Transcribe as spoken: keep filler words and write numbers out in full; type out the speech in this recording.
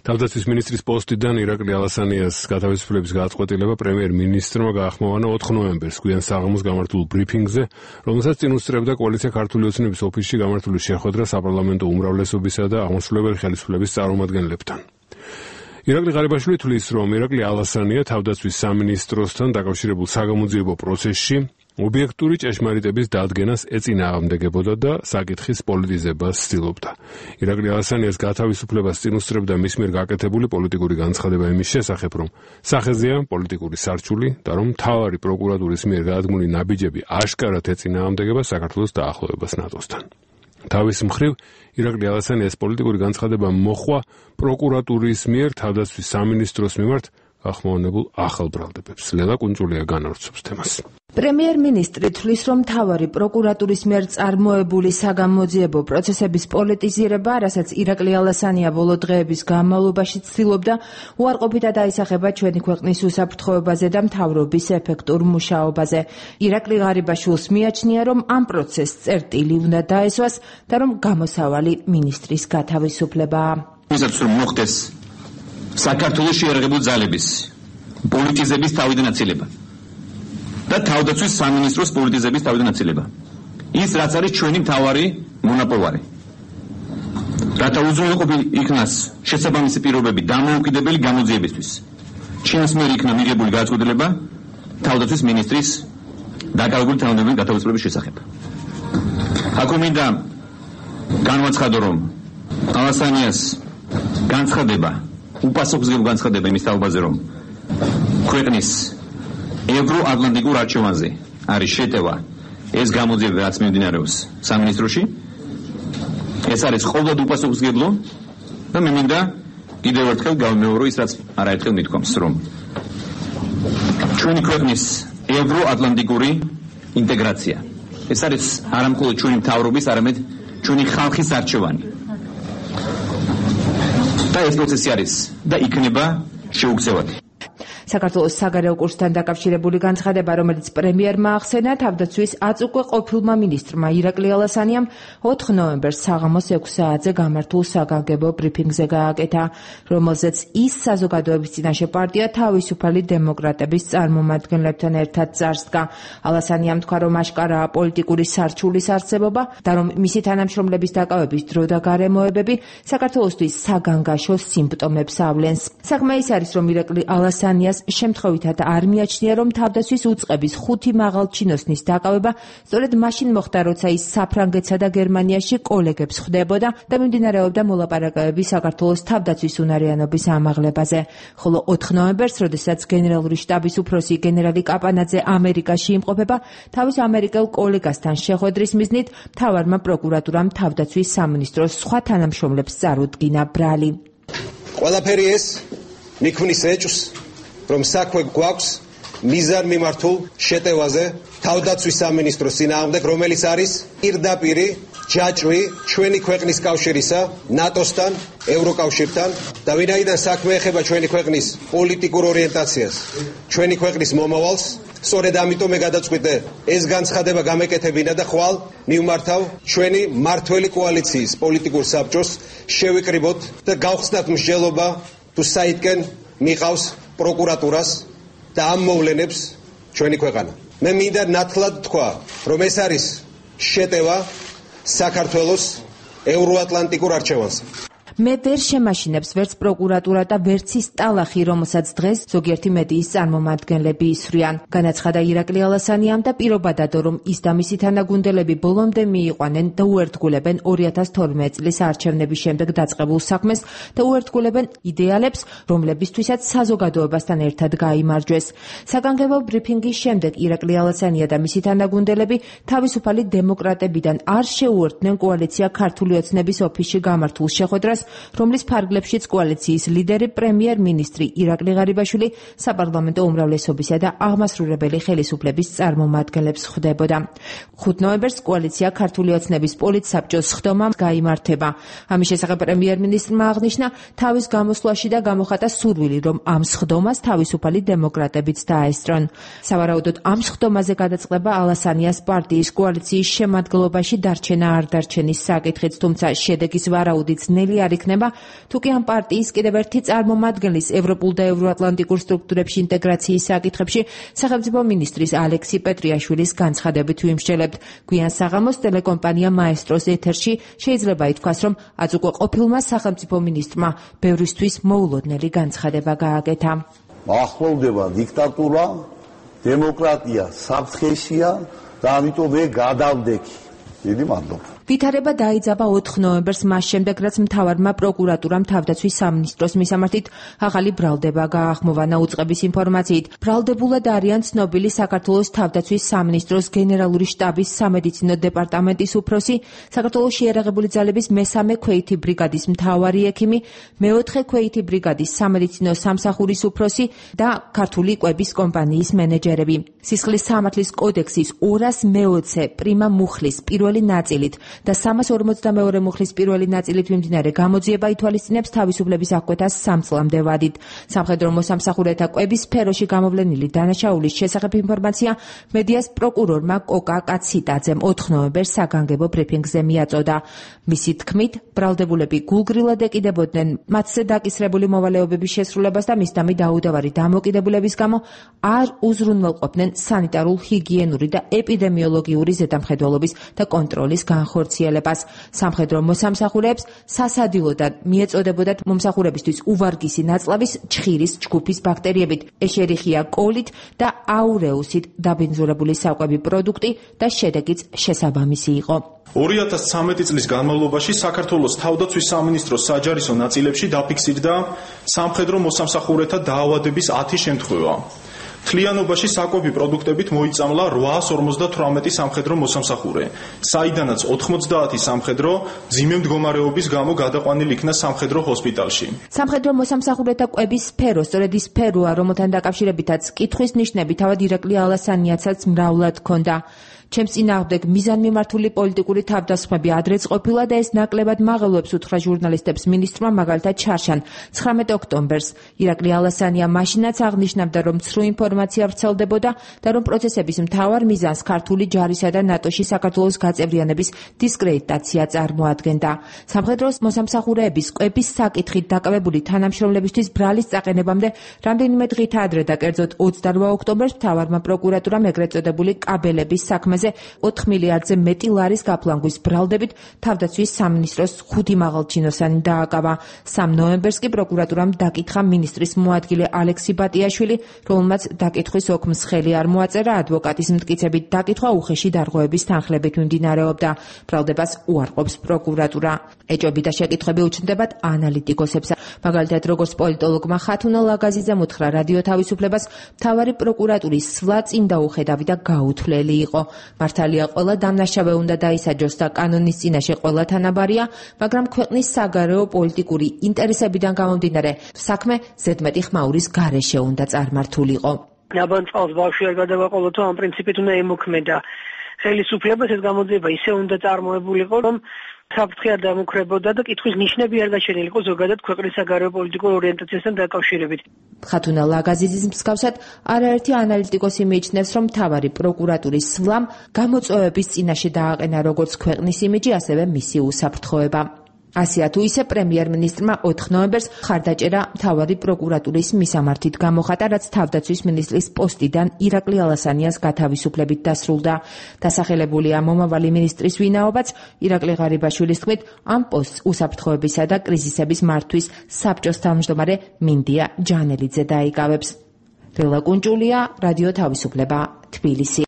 თავდაცვის მინისტრის პოსტიდან ირაკლი ალასანიას გათავისუფლების გადაწყვეტილება პრემიერ-მინისტრმა გაახმოვანა ოთხ ნოემბერს გვიან საღამოს გამართულ ბრიფინგზე, რომელსაც წინ უსწრებდა კოალიცია ქართული ოცნების ოფისში გამართული შეხვედრა საპარლამენტო უმრავლესობისა და აღმასრულებელი ხელისუფლების წარმომადგენლებთან. ირაკლი ღარიბაშვილი თვლის, რომ ირაკლი ალასანია თავდაცვის სამინისტროსთან დაკავშირებულ საგამოძიებო პროცესში ობიექტური ჭეშმარიტების დადგენას ეწინააღმდეგებოდა და საკითხის პოლიტიზებას ცდილობდა. ირაკლი ალასანიას გათავისუფლებას წინ უსწრებდა მის მიერ გაკეთებული პოლიტიკური განცხადება იმის შესახებ, რომ სახეზეა პოლიტიკური სარჩული და რომ მთავარი პროკურატურის მიერ გადადგმული ნაბიჯები აშკარად ეწინააღმდეგება საქართველოს დაახლოებას ნატოსთან. თავის მხრივ ირაკლი ალასანიას პოლიტიკური განცხადება მოხვა პროკურატურის მიერ თავდაცვის სამინისტროს მიმართ ახმოვანებულ ახალ ბრალდებებს. ლელა კუნჭულია განავრცობს თემას. პრემიერ-მინისტრი თვლის, რომ მთავარი პროკურატურის მიერ წარმოებული საგამოძიებო პროცესების პოლიტიზირება, რასაც ირაკლი ალასანია ბოლო დღეების განმავლობაში ცდილობდა, უარყოფითად აისახება ჩვენი ქვეყნის უსაფრთხოებაზე და მთავრობის ეფექტურ მუშაობაზე. ირაკლი ღარიბაშვილს მიაჩნია, რომ ამ პროცესს წერტილი უნდა დაესვას და რომ გამოსავალი მინისტრის გათავისუფლებაა. ვისაც რომ მოხდეს საქართველოს შეერაღებულ ძალების პოლიტიზების თავიდან აცილება და თავდაცვის სამინისტროს პოლიტიზების თავიდან აცილება. ის რაც არის ჩვენი მთავარი მონაპოვარი. რათა უზრუნველყოფი იქნას შესაბამისი პირობები დამოუკიდებელი გამოძიებისთვის. ჩინას მიერ იქნა მიღებული გადაწყვეტილება თავდაცვის მინისტრის დაკავებული თანამდებობის გათავისუფლების შესახებ. აქ მინდა განვაცხადო, რომ ალასანიას განცხადება უპასუხისმგებლო განცხადება იმის თაობაზე, რომ ქვეყნის ევროატლანტიკურ არჩევანზე არის შეტევა ეს გამოძიება, რაც მიმდინარეობს სამინისტროში, ეს არის ყოველდღე უპასუხისმგებლო და მე მინდა კიდევ ერთხელ გავიმეორო ის, რაც არაერთხელ მithქვამს, რომ ჩვენი ქვეყნის ევროატლანტიკური ინტეგრაცია ეს არის არა მხოლოდ ჩვენი მთავრობის, არამედ ჩვენი ხალხის არჩევანი. და ეს პროცესი არის და იქნება შეუქცევადი. საქართველოს საგარეო კურსთან დაკავშირებული განცხადება, რომელიც პრემიერმა ახსენა, თავდაცვის აწუკვე ყოფილმა მინისტრმა ირაკლი ალასანიამ ოთხ ნოემბერს საღამოს ექვს საათზე გამართულ საგანგებო ბრიფინგზე გააკეთა, რომელზეც ის საზოგადოების წინაშე პარტია თავისუფალი დემოკრატების წარმომადგენლებთან ერთად წარსდგა. ალასანიამ თქვა, რომ აშკარაა პოლიტიკური სარჩულის არსებობა და რომ მისი თანამშრომლების დაკავების დრო და გარემოებები საქართველოსთვის საგანგაშო სიმპტომებს ავლენს. საქმე ის არის, რომ ირაკლი ალასანიას შემთხვევითად არ მიაჩნია, რომ თავდაცვის უწყების ხუთი მაღალჩინოსნის დაკავება სწორედ მაშინ მოხდა, როცა ის საფრანგეთსა და გერმანიაში კოლეგებს ხვდებოდა და მიმდინარეობდა მოლაპარაკებები საქართველოს თავდაცვის უნარიანობის ამაღლებაზე. ხოლო ოთხ ნოემბერს, როდესაც გენერალური შტაბის უფროსი გენერალი კაპანაძე ამერიკაში იმყოფება, თავის ამერიკელ კოლეგასთან შეხვედრის მიზნით მთავარმა პროკურატურამ თავდაცვის სამინისტროს სხვა თანამშრომლებს წარუდგინა ბრალი. ყველაფერი ეს მიქმნის ეჭვს, რომ საქმე გვაქვს მიზან მიმართულ შეტევაზე თავდაცვის სამინისტროს წინააღმდეგ, რომელიც არის პირდაპირი ჯაჭვი ჩვენი ქვეყნის კავშირისა ნატოსთან, ევროკავშირთან და ვინაიდან საქმე ეხება ჩვენი ქვეყნის პოლიტიკურ ორიენტაციას, ჩვენი ქვეყნის მომავალს, სწორედ ამიტომ მე გადაწყვიტე ეს განცხადება გამეკეთებინა და ხვალ მივმართავ ჩვენი მართველი კოალიციის პოლიტიკურ საბჭოს შევიკრიბოთ და გავხსნათ მსჯელობა თუ საითკენ მიყავს პროკურატურას და ამ მოვლენებს ჩვენი ქვეყანა. მე მინდა ნათლად თქვა, რომ ეს არის შეტევა საქართველოს ევროატლანტიკურ არჩევანზე. მე ვერ შემაშინებს ვერც პროკურატურა და ვერც ის ტალახი, რომელსაც დღეს ზოგიერთი მედიის წარმომადგენლები ისვრიან. განაცხადა ირაკლი ალასანიამ და პირობადადო, რომ ის და მისი თანაგუნდელები ბოლომდე მიიყვანენ და უერთგულებენ ორი ათას თორმეტ წლის არჩევნების შემდეგ დაწყებულ საქმეს და უერთგულებენ იდეალებს, რომლებისთვისაც საზოგადოებასთან ერთად გაიმარჯვეს. საგანგებო ბრიფინგის შემდეგ ირაკლი ალასანია და მისი თანაგუნდელები თავისუფალი დემოკრატებიდან არ შეუერთდნენ კოალიცია ქართული ოცნების ოფისში გამართულ შეხვედრას, რომლის ფარგლებშიც კოალიციის ლიდერი პრემიერ-მინისტრი ირაკლი ღარიბაშვილი საპარლამენტო უმრავლესობისა და აღმასრულებელი ხელისუფლების წარმომადგენლებს ხვდებოდა. ხუთ ნოემბერს კოალიცია ქართული ოცნების პოლიტსაბჭოს სხდომა გაიმართება. ამის შესახებ პრემიერ-მინისტრმა აღნიშნა, თავის გამოსვლაში და გამოხატა სურვილი, რომ ამ სხდომას თავისუფალი დემოკრატებიც დაესწრონ. სავარაუდოდ ამ სხდომაზე გადაწყდება ალასანიას პარტიის კოალიციის შემადგენლობაში დარჩენა არ დარჩენის საკითხიც, თუმცა შედეგის ვარაუდიც ნელი არ არ იქნება, თუკი ამ პარტიის კიდევ ერთი წარმომადგენლის ევროპულ და ევროატლანტიკურ სტრუქტურებში ინტეგრაციის საკითხებში სახელმწიფო მინისტრის ალექსი პეტრიაშვილის განცხადებით ვიმსჯელებთ. გვიან საღამოს ტელეკომპანია მაესტროს ეთერში შეიძლება ითქვას, რომ აწუკვე ყოფილმა სახელმწიფო მინისტრმა ბევრისთვის მოულოდნელი განცხადება გააკეთა. ახლოვდება დიქტატურა, დემოკრატია საფრთხეშია და ამიტომ მე გადავდექი. დიდი მადლობა. ვითარება დაიძაბა ოთხ ნოემბერს, მას შემდეგ, რაც მთავარმა პროკურატურამ თავდაცვის სამინისტროს მისამართით ახალი ბრალდება გაახმოვანა. უწყების ინფორმაციით, ბრალდებულად არიან ცნობილი საქართველოს თავდაცვის სამინისტროს გენერალური შტაბის სამედიცინო დეპარტამენტის უფროსი, საქართველოს შეიარაღებული ძალების მესამე ქვეითი ბრიგადის მთავარი ექიმი, მეოთხე ქვეითი ბრიგადის სამედიცინო სამსახურის უფროსი და ქართული კვების კომპანიის მენეჯერები. სისხლის სამართლის კოდექსის ორას მეოცე პრიმა მუხლის პირველი ნაწილით და სამას ორმოცდამეორე მუხლის პირველი ნაწილით მიმდინარე გამოძიება ითვალისწინებს თავისუფლების აღკვეთას სამ წლამდე ვადით. სამხედრო მოსამსახურეთა კვების სფეროში გამოვლენილი დანაშაულის შესახებ ინფორმაცია მედიას პროკურორმა კოკა კაციტაძემ ოთხ ნოემბერს საგანგებო ბრიფინგზე მიაწოდა. მისი თქმით, ბრალდებულები გულგრილად ეკიდებოდნენ მათზე დაკისრებული მოვალეობების შესრულებას და მისდამი დაუდავარი დამოკიდებულების გამო არ უზრუნველყოფდნენ სანიტარულ, ჰიგიენური და ეპიდემიოლოგიური ზედამხედველობის და კონტროლის განხორციელებას. სამხედრო მოსამსახურეებს სასადილოდან მიეწოდებოდათ მომსახურებისთვის უვარგისი ნაწლავის ჩხირის ჯგუფის ბაქტერიებით, ეშერიხია კოლით და აურეუსით დაბინძურებული საკვები პროდუქტი და შედეგიც შესაბამისი იყო. ორი ათას ცხრამეტი წლის განმავლობაში საქართველოს თავდაცვის სამინისტროს საჯარისო ნაწილებში დაფიქსირდა სამხედრო მოსამსახურეთა დაავადების ათი შემთხვევა. თლიანობაში საკვები პროდუქტებით მოიწამლა რვაას ორმოცდათვრამეტი სამხედრო მოსამსახურე, საიდანაც ოთხმოცდაათი სამხედრო ძიმე მდგომარეობის გამო გადაყვანილი იქნა სამხედრო ჰოსპიტალში. სამხედრო მოსამსახურეთა კვების სფერო სწორედ ის სფეროა, რომელთან დაკავშირებითაც კითხვის ნიშნები თავად ირაკლი ალასანიაცაც მრავლად ჰქონდა. ჩემს წინააღმდეგ მიზანმიმართული პოლიტიკური თავდასხმები ადრეც ყოფილა და ეს ნაკლებად მაღელვებს უთხრა ჟურნალისტებს მინისტრმა, მაგალითად ჩარშან ცხრამეტ ოქტომბერს. ირაკლი ალასანია მაშინაც აღნიშნავდა, რომ ცრუ ინფორმაცია ვრცელდებოდა და რომ პროცესების მთავარ მიზანს ქართული ჯარისა და ნატოში საქართველოს გაწევრიანების დისკრედიტაცია წარმოადგენდა. სამხედრო მოსამსახურეების კვების საკითხით დაკავებული თანამშრომლებისთვის ბრალის წაყენებამდე რამდენიმე დღით ადრე და კერძოდ ოცდარვა ოქტომბერს მთავარმა პროკურატურამ ეგრეთ წოდებული კაბელების საქმეზე ოთხ მილიარდზე მეტი ლარის გაფლანგვის ბრალდებით თავდაცვის სამინისტროს ხუთი მაღალჩინოსანი დააკავა. სამ ნოემბერს კი პროკურატურამ დაკითხა მინისტრის მოადგილე ალექსი ბატიაშვილი, რომელმაც დაკითხვის ოქმს ხელი არ მოაწერა, ადვოკატის მტკიცებით დაკითხვა უხეში დარღვევების თანხლებით მიმდინარეობდა. ბრალდებას უარყოფს პროკურატურა. ეჭვები და შეკითხვები უჩნდებათ ანალიტიკოსებს. მაგალითად, როგორც პოლიტოლოგმა ხათუნა ლაგაზიძემ უთხრა რადიო თავისუფლებას, მთავარი პროკურატურის სვლა წინ დაუხედავი და გაუთვლელი იყო. მართალია ყველა დამნაშავე უნდა დაისაჯოს და კანონის წინაშე ყველა თანაბარია, მაგრამ ქვეყნის საგარეო პოლიტიკური ინტერესებიდან გამომდინარე საქმე ზედმეტი ხმაურის გარეშე უნდა წარმართულიყო. ნაბან წყალს ბავშვი არ გადავაყოლოთ, ამ პრინციპით უნდა ემოქმედა ხელისუფლებას, ეს გამოძიება ისე უნდა წარმოებულიყო, რომ საფრთხე არ დამუქრებოდა და კითხვის ნიშნები არ გაჩენილიყო ზოგადად ქვეყნის საგარეო პოლიტიკურ ორიენტაციასთან დაკავშირებით. ხათუნა ლაგაზიძის მსგავსად არაერთი ანალიტიკოსი მიიჩნევს, რომ მთავარი პროკურატურის სვლამ გამოწვევების წინაშე დააყენა როგორც ქვეყნის იმიჯი, ასევე მისი უსაფრთხოება. ასია თუ ისე პრემიერ-მინისტრმა ოთხ ნოემბერს ხარდაჭერა მთავარი პროკურატურის მისამართით გამოხატა, რაც თავდაცვის მინისტრის პოსტიდან ირაკლი ალასანიას გათავისუფლებით დასრულდა. დასახელებულია მომავალი მინისტრის ვინაობაც, ირაკლი ღარიბაშვილის თქმით, ამ პოსტს უსაფრთხოებისა და კრიზისების მართვის საბჭოს თავმჯდომარე მინდია ჯანელიძე დაიკავებს. რელა კუნჭულია, რადიო თავისუფლება, თბილისი.